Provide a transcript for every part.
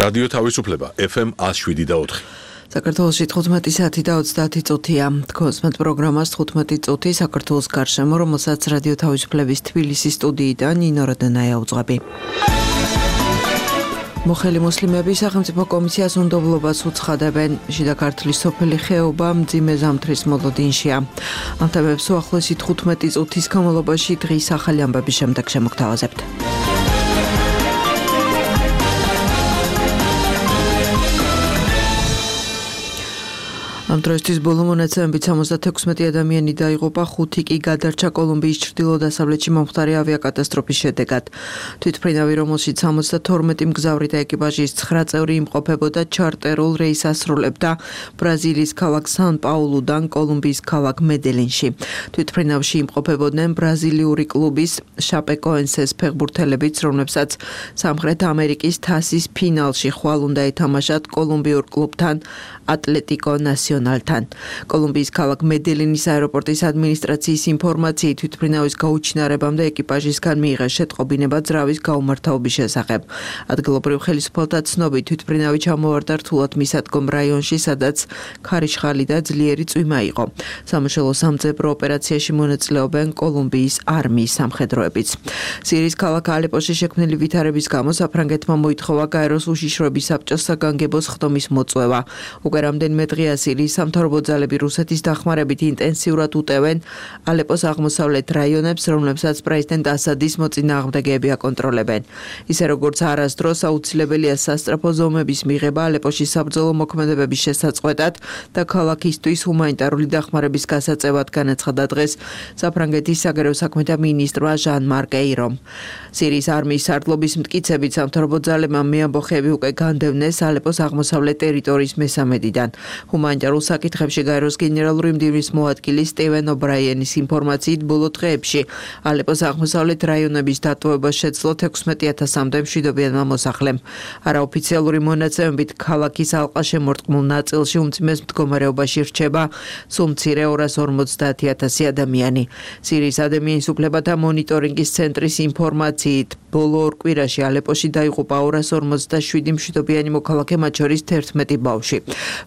რადიო თავისუფლება FM 107.4. საქართველოში 15 საათი და 30 წუთია. თქვენს პროგრამას 15 წუთი საქართველოს გარშემო, რომელსაც რადიო თავისუფლების თბილისის სტუდიიდან ნინო როდენაია უძღვები. მოხელი მუსლიმები სახელმწიფო კომისიას უნდობლობას უცხადებენ. შიდა ქართლის სოფელი ხეობა მძიმე ზამთრის მოლოდინშია. ამ თემებს უახლოესი 15 წუთის განმავლობაში დღის ახალი ამბების შემდეგ შემოგთავაზებთ. ამ დროისთვის ბოლო მონაცემებით 76 ადამიანი დაიღუპა, 5 კი გადარჩა კოლუმბიის ჩრდილო-დასავლეთში მომხდარი ავიაკატასტროფის შედეგად. თვითმფრინავი, რომელშიც 72 მგზავრი და ეკიპაჟის 9 წევრი იმყოფებოდა, ჩარტერულ რეისს ასრულებდა ბრაზილიის ქალაქ სან-პაულუდან კოლუმბიის ქალაქ მედელინში. თვითმფრინავში იმყოფებოდნენ ბრაზილიური კლუბის შაპეკოენსეს ფეხბურთელებიც, რომლებსაც სამხრეთ ამერიკის თასის ფინალში ხვალ უნდა ეთამაშათ კოლუმბიურ კლუბთან ატლეტიკო ნასიონალთან. კოლუმბიის ქალაქ მედელინის აეროპორტის ადმინისტრაციის ინფორმაციით თვითმფრინავის გაუჩინარებამდე ეკიპაჟისგან მიიღეს შეტყობინება ძრავის გაუმართავობის შესახებ. ადგილობრივ ხელისუფალთა ცნობით თვითმფრინავი ჩამოვარდა რთულად მისადგომ რაიონში, სადაც ქარიშხალი და ძლიერი წვიმა იყო. სამაშველო სამძებრო ოპერაციაში მონაწილეობენ კოლუმბიის არმიის სამხედროებიც. სირიის ქალაქ ალეპოში შექმნილი ვითარების გამო საფრანგეთმა მოითხოვა გაეროს უშიშროების საბჭოს საგანგებოს ხდომის მოწვევა. რამდენიმე დღეა სირიის სამთავრობო ძალები რუსეთის დახმარებით ინტენსიურად უტევენ ალეპოს აღმოსავლეთ რაიონებს, რომლებსაც პრეზიდენტ ასადის მოწინააღმდეგეები აკონტროლებენ. ისე როგორც არასდროს აუცილებელია სასწრაფო ზომების მიღება ალეპოში საბრძოლო მოქმედებების შესაწყვეტად და ქალაქისთვის ჰუმანიტარული დახმარების გასაწევად, განაცხადა დღეს საფრანგეთის საგარეო საქმეთა მინისტრმა ჟან მარკ ეირომ. სირიის არმიის სარდლობის მტკიცებით სამთავრობო ძალებმა მეამბოხეები უკვე განდევნეს ალეპოს აღმოსავლეთ ტერიტორიის მესამედიდან. ჰუმანიტარულ საკითხებში გაეროს გენერალური მდივნის მოადგილი სტივენ ობრაიენის ინფორმაციით ბოლო დღეებში ალეპოს აღმოსავლეთ რაიონების დატოვებას შეძლო 16,000-მდე მშვიდობიანმა მოსახლემ. არაოფიციალური მონაცემებით ქალაქის ალყაშემორტყმულ ნაწილში უმძიმეს მდგომარეობაში რჩება სულ მცირე 250,000 ადამიანი. სირიის ადამიანის უფლებათა მონიტორინგის ცენტრის ინფორმაციით ბოლო ორ კვირაში ალეპოში დაიღუპა 257 მშვიდობიანი მოქალაქე, მათ შორის 11 ბავშვი.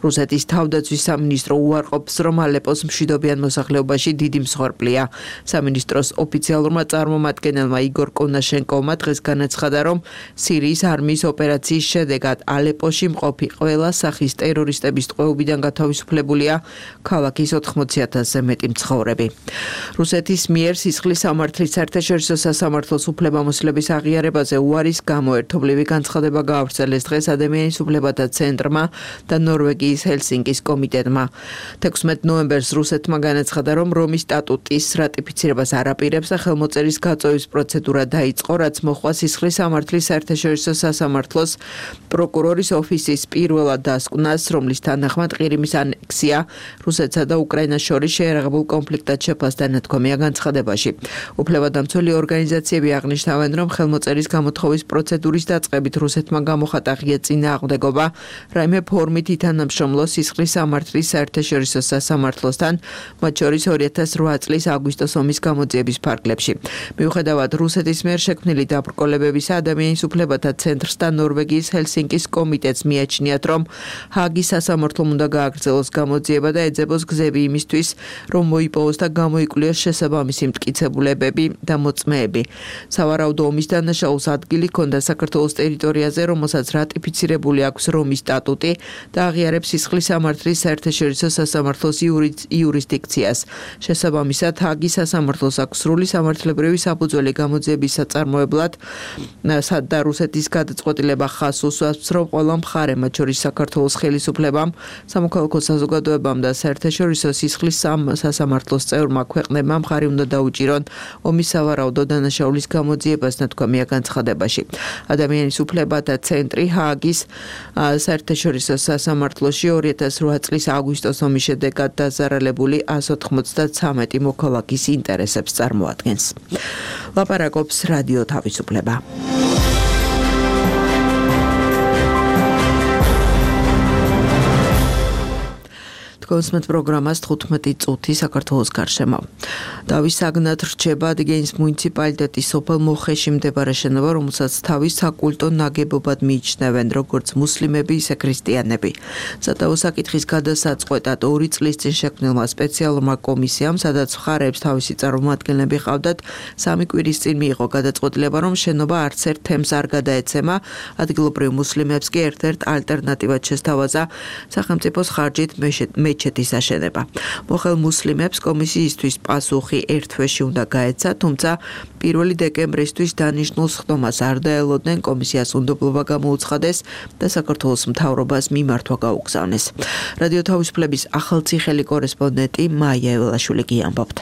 რუსეთის თავდაცვის სამინისტრო უარყოფს, რომ ალეპოს მშვიდობიან მოსახლეობაში დიდი მსხვერპლია. სამინისტროს ოფიციალურმა წარმომადგენელმა იგორ კონაშენკოვმა დღეს განაცხადა, რომ სირიის არმიის ოპერაციის შედეგად ალეპოში მყოფი ყველა სახის ტერორისტების ტყვეობიდან გათავისუფლებულია ქალაქის 80,000-ზე მეტი მცხოვრები. რუსეთის მიერ სისხლის სამართლის საერთაშორისო სასამართლოს უფლებამოსილების აღიარებაზე უარის გამო ერთობლივი განცხადება გაავრცელეს დღეს ადამიანის უფლებათა ცენტრმა და ნორვეგიის ჰელსინკის კომიტეტმა. 16 ნოემბერს რუსეთმა განაცხადა, რომ რომის სტატუტის რატიფიცირებას არ აპირებს და ხელმოწერის გაწევის პროცედურა დაიწყო, რაც მოხდა სისხლის სამართლის საერთაშორისო სასამართლოს პროკურორის ოფისის პირველად დასკვნას, რომლის თანახმად ყირიმის ანექსია რუსეთსა და უკრაინას შორის შეერაღებულ კონფლიქტად შეფასდა ნათქვამია განცხადებაში. უფლებადამცველი ორგანიზაციები აღნიშნავენ, რომ ხელმოწერის გამოთხოვის პროცედურის დაწყებით რუსეთმა გამოხატა ღია წინააღმდეგობა რაიმე ფორმით ითანამშრომლო სისხლის სამართლის საერთაშორისო სასამართლოსთან, მათ შორის 2008 წლის აგვისტოს ომის გამოძიების ფარგლებში. მიუხედავად რუსეთის მიერ შექმნილი დაბრკოლებებისა, ადამიანის უფლებათა ცენტრს და ნორვეგიის ჰელსინკის კომიტეტს მიაჩნიათ, რომ ჰააგის სასამართლომ უნდა გააგრძელოს გამოძიება და ეძებოს გზები იმისთვის, რომ მოიპოვოს და გამოიკვლიოს შესაბამისი მტკიცებულებები და მოწმეები. სავარაუდო ომის დანაშაულს ადგილი ჰქონდა საქართველოს ტერიტორიაზე, რომელსაც რატიფიცირებული აქვს რომის სტატუტი და აღიარებს სისხლის სამართლის საერთაშორისო სასამართლოს იურისდიქციას. შესაბამისად, ჰააგის სასამართლოს აქვს სრული სამართლებრივი საფუძველი გამოძიების საწარმოებლად და რუსეთის გადაწყვეტილება ხაზს უსვამს, რომ ყველა მხარე, მათ შორის საქართველოს ხელისუფლებამ, სამოქალაქო საზოგადოებამ და საერთაშორისო სისხლის სასამართლოს წევრმა ქვეყნებმა მხარი უნდა დაუჭირონ ომის სავარაუდო დანაშაულის გამოძიებას, ნათქვამია განცხადებაში. ადამიანის უფლებათა ცენტრი ჰააგის საერთაშორისო სასამართლოში 2008 წლის აგვისტოს ომის შედეგად დაზარალებული 193 მოქალაქის ინტერესებს წარმოადგენს. ლაპარაკობს რადიო თავისუფლება. კონსმეთ პროგრამას 15 წუთი საქართველოს გარშემო. დავის საგნად რჩება ადგენის მუნიციპალიტეტის სოფელ მოხეში მდებარე შენობა, რომელსაც თავის საკულტო ნაგებობად მიიჩნევენ როგორც მუსლიმები, ისე ქრისტიანები. სადავო საკითხის გადასაწყვეტად 2 წლის წინ შექმნილმა სპეციალურმა კომისიამ, სადაც მხარეებს თავისი წარმომადგენლები ჰყავდათ, 3 კვირის წინ მიიღო გადაწყვეტილება, რომ შენობა არც ერთ თემს არ გადაეცემა, ადგილობრივ მუსლიმებს კი ერთ-ერთ ალტერნატივად შესთავაზა სახელმწიფოს ხარჯით მეჩეთის აშენება. მოხელ მუსლიმებს კომისიისთვის პასუხი ერთ თვეში უნდა გაეცა, თუმცა 1 დეკემბრისთვის დანიშნულ სხდომას არ დაელოდნენ, კომისიას უნდობლობა გამოუცხადეს და საქართველოს მთავრობას მიმართვა გაუგზავნეს. რადიო თავისუფლების ახალციხელი კორესპონდენტი მაია ეველაშვილი გიამბობთ.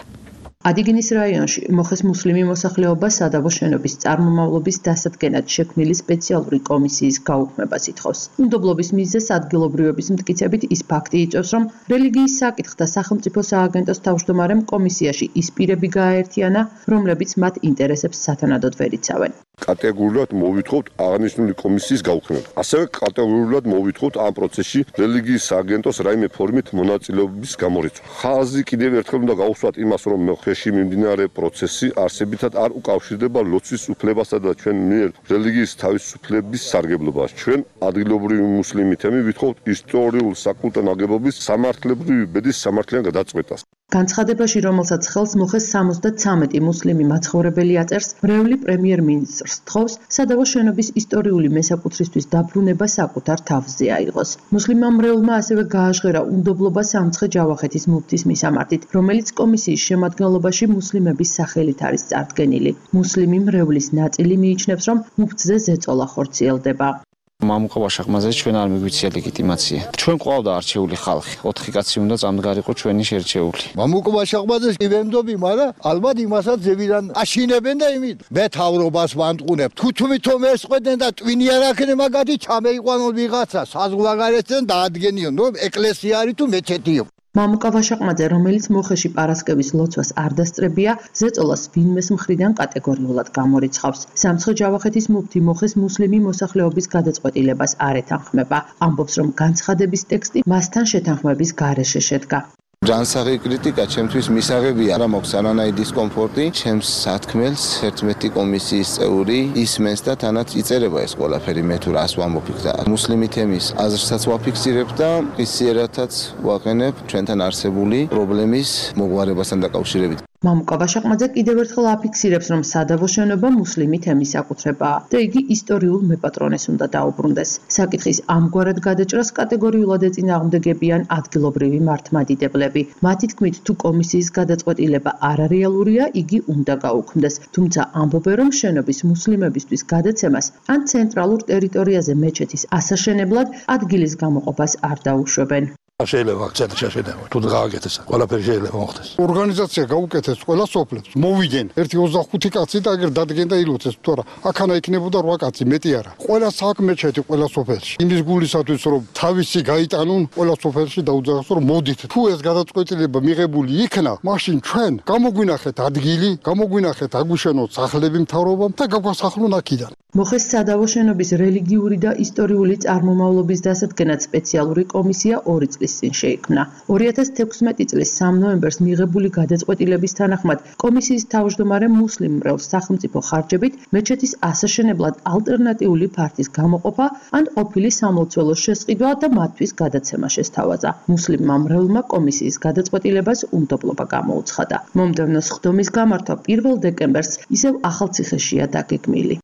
ადიგენის რაიონში მოხეს მუსლიმი მოსახლეობა სადავო შენობის წარმომავლობის დასადგენად შექმნილი სპეციალური კომისიის გაუქმებას ითხოვს. უნდობლობის მიზეზს ადგილობრივების მტკიცებით ის ფაქტი იწვევს, რომ რელიგიის საკითხთა სახელმწიფო სააგენტოს თავმჯდომარემ კომისიაში ის პირები გააერთიანა, რომლებიც მათ ინტერესებს სათანადოდ ვერ იცავენ. კატეგორიულად მოვითხოვთ აღნიშნული კომისიის გაუქმება. ასევე კატეგორიულად მოვითხოვთ ამ პროცესში რელიგიის სააგენტოს რაიმე ფორმით მონაწილეობის გამორიცხვა. ხაზი კიდევ ერთხელ უნდა გავუსვათ იმას, რომ მოხეში მიმდინარე პროცესი არსებითად არ უკავშირდება ლოცვის უფლებასა და ჩვენ მიერ რელიგიის თავისუფლების სარგებლობას. ჩვენ ადგილობრივი მუსლიმი თემი ვითხოვთ ისტორიულ საკულტო ნაგებობის სამართლებრივი ბედის სამართლიან გადაწყვეტას. განცხადებაში, რომელსაც ხელს მოხეს 73 მუსლიმი მაცხოვრებელი აწერს, მრევლი პრემიერ-მინისტრს თხოვს სადავო შენობის ისტორიული მესაკუთრისთვის დაბრუნება საკუთარ თავზე აიღოს. მუსლიმმა მრევლმა ასევე გააჟღერა უნდობლობა სამცხე-ჯავახეთის მუფთის მისამართით, რომელიც კომისიის შემადგენლობაში მუსლიმების სახელით არის წარდგენილი. მუსლიმი მრევლის ნაწილი მიიჩნევს, რომ მუფთზე ზეწოლა ხორციელდება. მამუკა ვაშახმაძე ჩვენ არ მიგვიცია ლეგიტიმაცია. ჩვენ ყავდა არჩეული ხალხი. 4 კაცი უნდა წამდგარიყო ჩვენი შერჩეული. მამუკა ვაშახმაძეს ვემდობი, მაგრამ ალბათ იმასაც ზევიდან აშინებენ და იმით. მე თავრობას ვანტყუნებ. თუ თვითონ ესყვედნენ და ტვინი არ აქნე მაგათი ჩამეიყვანონ ვიღაცა, საზღვარგარეთიდან დაადგენიონ, რომ ეკლესია არის თუ მეჩეთიო. მამუკა ვაშაყმაძე, რომელიც მოხეში პარასკევის ლოცვას არ დასწრებია, ზეწოლას ვინმეს მხრიდან კატეგორიულად გამორიცხავს. სამცხე-ჯავახეთის მუფთი მოხეს მუსლიმი მოსახლეობის გადაწყვეტილებას არ ეთანხმება. ამბობს, რომ განცხადების ტექსტი მასთან შეთანხმების გარეშე შედგა. ჯანსაღი კრიტიკა ჩემთვის მისაღებია, რა მაქვს არანაირი დისკომფორტი, ჩემს სათქმელს 11 კომისიის წევრი ისმენს და თანაც იწერება ეს ყველაფერი, მე თუ რას ვამბობ და მუსლიმი თემის აზრსაც ვაფიქსირებ და ისიერათაც ვაყენებ ჩვენთან არსებული პრობლემის მოგვარებასთან დაკავშირებით. მამუკა ვაშაყმაძე კიდევ ერთხელ აფიქსირებს, რომ სადავო შენობა მუსლიმი თემის საკუთრებაა და იგი ისტორიულ მეპატრონეს უნდა დაუბრუნდეს. საკითხის ამგვარად გადაჭრას კატეგორიულად ეწინააღმდეგებიან ადგილობრივი მართლმადიდებლები. მათი თქმით, თუ კომისიის გადაწყვეტილება არარეალურია, იგი უნდა გაუქმდეს. თუმცა ამბობენ, რომ შენობის მუსლიმებისთვის გადაცემას ან ცენტრალურ ტერიტორიაზე მეჩეთის ასაშენებლად ადგილის გამოყოფას არ დაუშვებენ. შეიძლება აქცენტი შეშენება თუ გააკეთეს ყველაფერი შეიძლება მოხდეს. ორგანიზაცია გაუკეთეს ყველა სოფლებს. მოვიდნენ 1-25 კაცი და აგერ დადგენ და ილოცეს, თორე აქანა იქნებოდა 8 კაცი, მეტი არა. ყველა საქმეჩეთი ყველა სოფელში. იმის გულისათვის რომ თავისი გაიტანონ ყველა სოფელში დაუძახოს რომ მოდით. თუ ეს გადაწყვეტილება მიღებული იქნა, მაშინ ჩვენ გამოგვინახეთ ადგილი, გამოგვინახეთ აგვიშენოთ სახლები მთავრობამ და გაგვასახლონ აქედან. მოხეს სადავო შენობის რელიგიური და ისტორიული წარმომავლობის დასადგენად სპეციალური კომისია 2 წლის წინ შეიქმნა. 2016 წლის 3 ნოემბერს მიღებული გადაწყვეტილების თანახმად კომისიის თავმჯდომარე მუსლიმ მრევლს სახელმწიფო ხარჯებით მეჩეთის ასაშენებლად ალტერნატიული ფართის გამოყოფა ან ყოფილი სამლოცველოს შესყიდვა და მათთვის გადაცემა შესთავაზა. მუსლიმმა მრევლმა კომისიის გადაწყვეტილებას უნდობლობა გამოუცხადა. მომდევნო სხდომის გამართვა 1 დეკემბერს ისევ ახალციხეშია დაგეგმილი.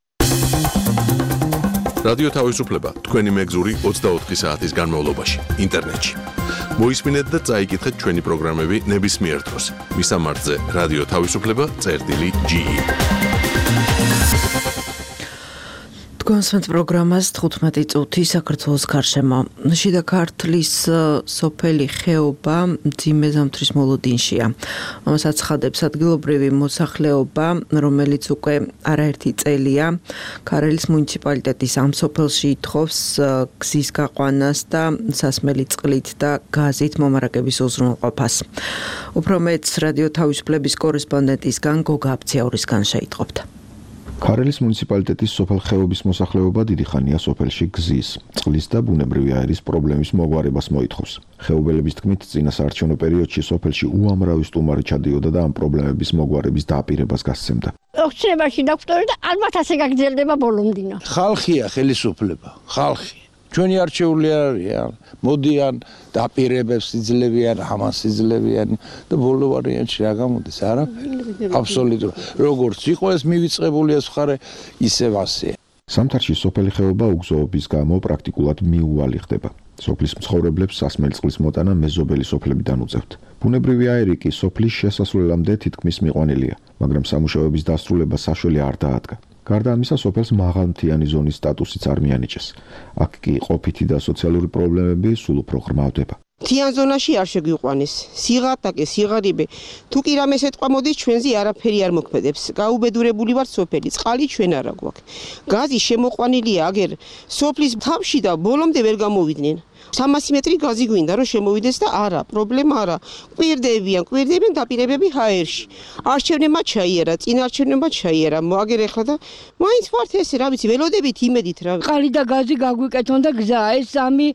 რადიო თავისუფლება თქვენი მეგზური 24 საათის განმავლობაში ინტერნეტში. მოისმინეთ და წაიკითხეთ ჩვენი პროგრამები ნებისმიერ დროს. მისამართზე რადიო თავისუფლება.ge. კონსმეთ პროგრამას 15 წუთი საქართველოს გარშემო. შიდა ქართლის სოფელი ხეობა მძიმე ზამთრის მოლოდინშია. ამას აცხადებს ადგილობრივი მოსახლეობა, რომელიც უკვე არაერთი წელია ქარელის მუნიციპალიტეტის ამ სოფელში ითხოვს გზის გაყვანას და სასმელი წყლით და გაზით მომარაგების უზრუნველყოფას. უფრო მეტს რადიო თავისუფლების კორესპონდენტისგან გოგა აბციაურისგან შეიტყობთ. ქარელის მუნიციპალიტეტის სოფელ ხეობის მოსახლეობა დიდი ხანია სოფელში გზის, წყლის და ბუნებრივი აირის პრობლემის მოგვარებას მოითხოვს. ხეობელების თქმით, წინა საარჩევნო პერიოდში სოფელში უამრავი სტუმარი ჩადიოდა და ამ პრობლემების მოგვარების დააპირებას გასცემდა. ოქცნებაში დოქტორი და ალბათ ასე გაგრძელდება ბოლომდინა. ხალხია ხელისუფლება, ხალხი. ჩვენი არჩეული არ არიან, მოდიან, დაპირებებს იძლევიან, ამას იძლევიან და ბოლო ვარიანტში რა გამოდის? არაფერი. აბსოლუტურად. როგორც იყო ეს მივიწყებული ეს მხარე, ისევ ასეა. სამთარში სოფელი ხეობა უგზოობის გამო პრაქტიკულად მიუვალი ხდება. სოფლის მცხოვრებლებს სასმელი წყლის მოტანა მეზობელი სოფლებიდან უწევთ. ბუნებრივი აირი კი სოფლის შესასვლელამდე თითქმის მიყვანილია, მაგრამ სამუშაოების დასრულება საშუალე არ დაადგა. გარდა ამისა, სოფელს მაღალმთიანი ზონის სტატუსიც არ მიანიჭეს. აქ კი ყოფითი და სოციალური პრობლემები სულ უფრო ღრმავდება. მთიან ზონაში არ შეგვიყვანეს. სიღატაკე, სიღარიბე. თუ კი რამეს ეთყვა მოდის, ჩვენზე არაფერი არ მოქმედებს. გაუბედურებული ვართ სოფელი, წყალი ჩვენ არა გვაქვს. გაზი შემოყვანილია აგერ სოფლის თავში და ბოლომდე ვერ გამოვიდნენ. 300 მეტრი გაზი გვინდა რომ შემოვიდეს და არა, პრობლემა არა. კვირდებიან დაპირებები ჰაერში. არჩევნებმა ჩაიერა, წინ არჩევნებმა ჩაიერა. მოაგერ ეხლა და მაინც ვართ ესე, რა ვიცი, ველოდებით იმედით რა. წყალი და გაზი გაგვიკეთონ და გზა, ეს სამი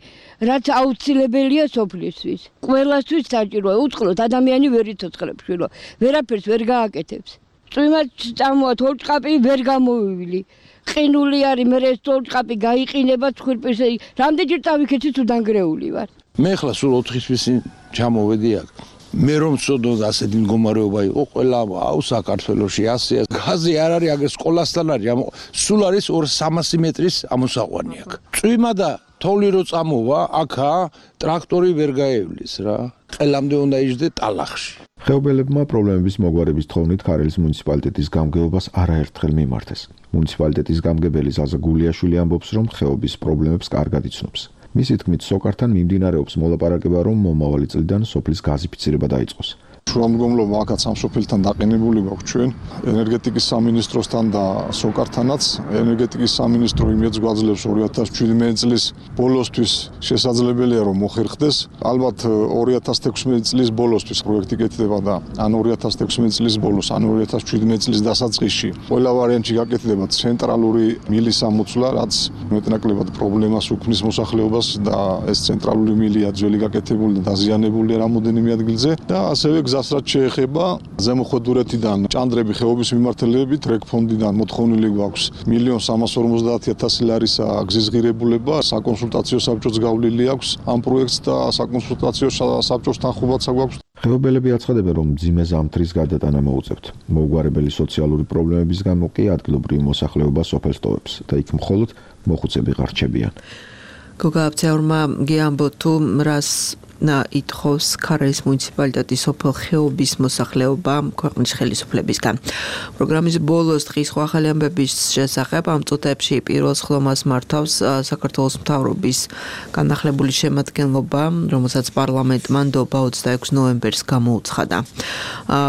რაც აუცილებელია სოფლისთვის. ყველასთვის საჭიროა, უწყლოდ ადამიანი ვერ იცოცხლებს შვილო. ვერაფერს ვერ გააკეთებს. წვიმად წამოათ ორჭყაპი ვერ გამოვივილი. ყინული არის, მე ეს ორჭყაპი გაიყინება ცხვირპირზე. რამდენჯერ წავიქეცი თუ დანგრეული ვარ. მე ხლა სულ 4 თვის ჩამოვედი აქ. მე რომ ვწოდო ასეთი მდგომარეობა იყო ყველა საქართველოში ასეა. გაზი არ არის აგერ სკოლასთან არის, სულ არის 300 მეტრის ამოსაყვანი აქ. წვიმა და თოვლი რო წამოვა, აქა ტრაქტორი ვერ გაევლის რა. ყელამდე უნდა იჯდე ტალახში. ხეობელებმა პრობლემების მოგვარების თხოვნით ქარელის მუნიციპალიტეტის გამგეობას არაერთხელ მიმართეს. მუნიციპალიტეტის გამგებელი ზაზა გულიაშვილი ამბობს, რომ ხეობის პრობლემებს კარგად იცნობს. მისი თქმით, სოკართან მიმდინარეობს მოლაპარაკება, რომ მომავალი წლიდან სოფლის გაზიფიცირება დაიწყოს. შუამდგომლობა აქაც ამ სოფელთან დაყენებული გვაქვს ჩვენ ენერგეტიკის სამინისტროსთან და სოკართანაც. ენერგეტიკის სამინისტრო იმედს გვაძლევს 2017 წლის ბოლოსთვის შესაძლებელია რომ მოხერხდეს. ალბათ 2016 წლის ბოლოსთვის პროექტი კეთდება და ან 2016 წლის ბოლოს, ან 2017 წლის დასაწყისში ყველა ვარიანტში გაკეთდება ცენტრალური მილის ამოცვლა, რაც მეტნაკლებად პრობლემას უქმნის მოსახლეობას და ეს ცენტრალური მილია ძველი გაკეთებული და დაზიანებულია რამოდენიმე ადგილზე და ასევე გზასაც შეეხება ზემოხვედურეთიდან ჭანდრები ხეობის მიმართულებით რეგფონდიდან მოთხოვნილი გვაქვს 1.350.000 ლარისა გზის ღირებულება, საკონსულტაციო საბჭოც გავლილი აქვს ამ პროექტს და საკონსულტაციო საბჭოსთან ხუბაცა გვაქვს. ხეობელები აცხადებენ, რომ მძიმე ზამთრის გადატანა მოუწევთ. მოუგვარებელი სოციალური პრობლემების გამო კი ადგილობრივი მოსახლეობა სოფელს ტოვებს და იქ მხოლოდ მოხუცები ღარჩებიან. გოგააბცეურმა გიამბო თუ რას ითხოვს ქარელის მუნიციპალიტეტის სოფელ ხეობის მოსახლეობა ქვეყნის ხელისუფლებისგან. პროგრამის ბოლოს დღის ახალი ამბების შესახებ ამ წუთებში პირველს ხდომას მართავს საქართველოს მთავრობის განახლებული შემადგენლობა, რომელსაც პარლამენტმა ნდობა 26 ნოემბერს გამოუცხადა.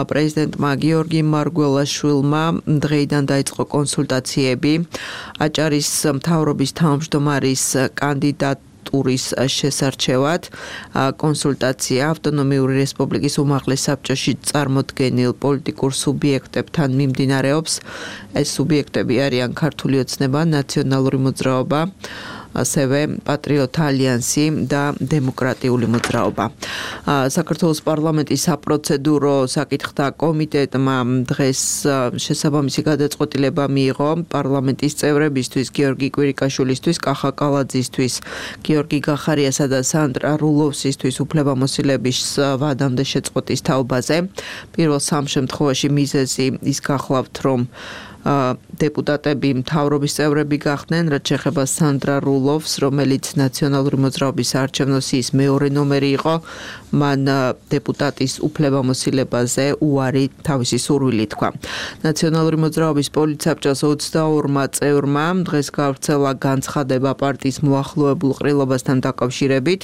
პრეზიდენტმა გიორგი მარგველაშვილმა დღეიდან დაიწყო კონსულტაციები აჭარის მთავრობის თავმჯდომარის კანდიდატ ტურის შესარჩევად. კონსულტაცია ავტონომიური რესპუბლიკის უმაღლეს საბჭოში წარმოდგენილ პოლიტიკურ სუბიექტებთან მიმდინარეობს. ეს სუბიექტები არიან ქართული ოცნება, ნაციონალური მოძრაობა, ასევე პატრიოტთა ალიანსი და დემოკრატიული მოძრაობა. საქართველოს პარლამენტის საპროცედურო საკითხთა კომიტეტმა დღეს შესაბამისი გადაწყვეტილება მიიღო პარლამენტის წევრებისთვის, გიორგი კვირიკაშვილისთვის, კახა კალაძისთვის, გიორგი გახარიასა და სანდრა რულოვსისთვის უფლებამოსილების ვადამდე შეწყვეტის თაობაზე. პირველ სამ შემთხვევაში მიზეზი ის გახლავთ, რომ დეპუტატები მთავრობის წევრები გახდნენ, რაც შეეხება სანდრა რულოვს, რომელიც ნაციონალური მოძრაობის საარჩევნო სიის მეორე ნომერი იყო, მან დეპუტატის უფლებამოსილებაზე უარი თავისი სურვილი თქვა. ნაციონალური მოძრაობის პოლიტსაბჭოს 22 წევრმა დღეს გავრცელა განცხადება პარტიის მოახლოებულ ყრილობასთან დაკავშირებით.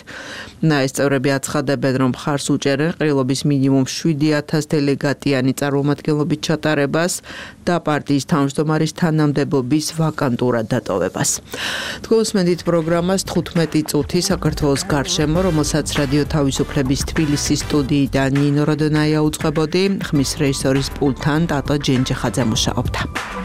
ეს წევრები აცხადებენ, რომ მხარს უჭერენ ყრილობის მინიმუმ 7000 დელეგატიანი წარმომადგენლობით ჩატარებას და პარტიის თავმჯდომარის თანამდებობის ვაკანტურად დატოვებას. თქვენ უსმენთ პროგრამას 15 წუთი საქართველოს გარშემო, რომელსაც რადიო თავისუფლების თბილისის სტუდიიდან ნინო როდონაია უწყებოდი, ხმის რეჟისორის პულტთან ტატო ჯენჯეხაძე მუშაობდა.